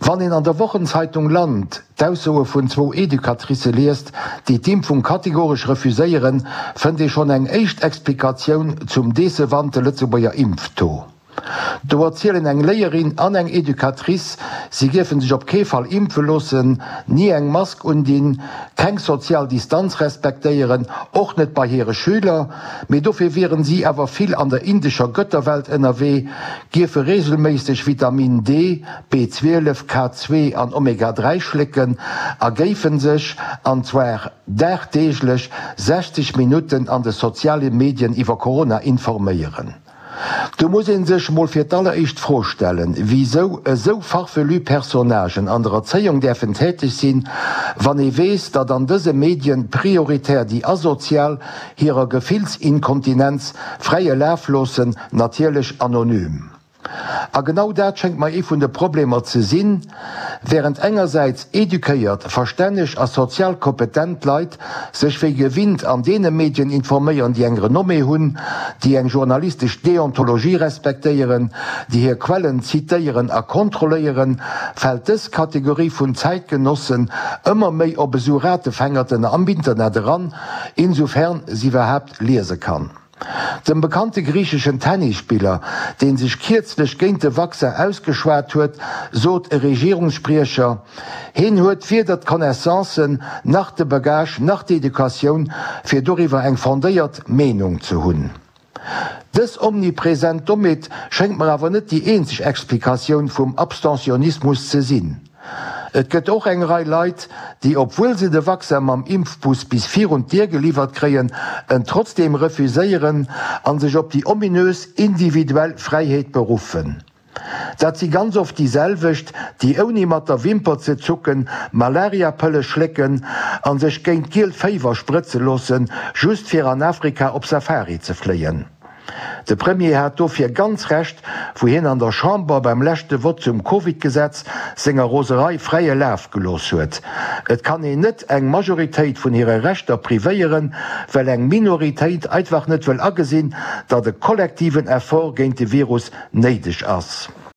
Wann een an der Wochenzeitung Land d'Aussoe vun zwou Educatricë liest, déi d'Impfung kategoresch refuséieren, fënnt ee schonn eng éischt Explikatioun zum decevante Lëtzebuerger Impftaux. Do erzielen eng Léierin an eng Educatrice, si géife sech op kee Fall impfe loossen, ni eng Mask undinn, keng sozial Distanz respektéieren, och net bei hire Schüler, mee dofir wieren si awer vill an der indescher Götterwelt ënnerwee, giefe reegelméisseg Vitamin D, B12, K2 an Omega 3 schlécken a géifen sech, an zwar dagdeeglech, 60 Minutten an de soziale Medien iwwer Corona informéieren. Do muss een sech mol fir d'alleréischt d'Fro stellen, wisou esou farfelu Personnagen an der Erzéiung däerfen täteg sinn, wann ee weess, datt an dëse Medien prioritär déi Asozial hirer Gefillsinkontinenz fräie Laf loossen, natierlech anonym. A genau dat schéngt mer ee vun de Problemer ze sinn, Wärend engersäits eduquéiert, verstänneg a sozial kompetent Leit sech wéi gewinnt an deene Medien informéieren, déi eng Renommée hunn, déi eng journalistesch Deontologie respektéieren, déi hir Quellen zitéieren a kontrolléieren, fält dës Kategorie vun Zäitgenossen ëmmer méi op esou Ratefängerten am Internet eran, insoufern se iwwerhaapt liese kann. Dem bekannte griicheschen Tennisspiller, dee sech kierzlech géint de Vaccin ausgeschwat huet, sot e Regierungsspriecher, hien huet weder d'Connaissancen, nach de Bagage, nach d'Educatioun, fir doriwwer eng fondéiert Meenung ze hunn. Dës omnipresent Dommheet schéngt mer awer net déi eenzeg Explikatioun vum Abstentionismus ze sinn. Et gëtt och eng Rei Leit, déi, obwuel se de Vaccin mam Impfbus bis virun d'Dier geliwwert kréien, en trotzdeem refuséieren a sech op déi ominös individuell Fräiheet beruffen. Dat si ganz oft déi selwecht, déi ouni mat der Wimper ze zucken Malariapëlle schlécken a sech géint d'gielt Féiwer sprëtze loossen, just fir an Afrika op Safari ze fléien. De Premier hat dofir ganz Recht, wou hien an der Chamber beim leschte Vott zum Covid-Gesetz senger Roserei fräie Laf gelooss huet. Et kann een net eng Majoritéit vun hire Rechter privéieren, well eng Minoritéit einfach net wëll agesinn, datt e kollektiven Effort géint de Virus néideg ass.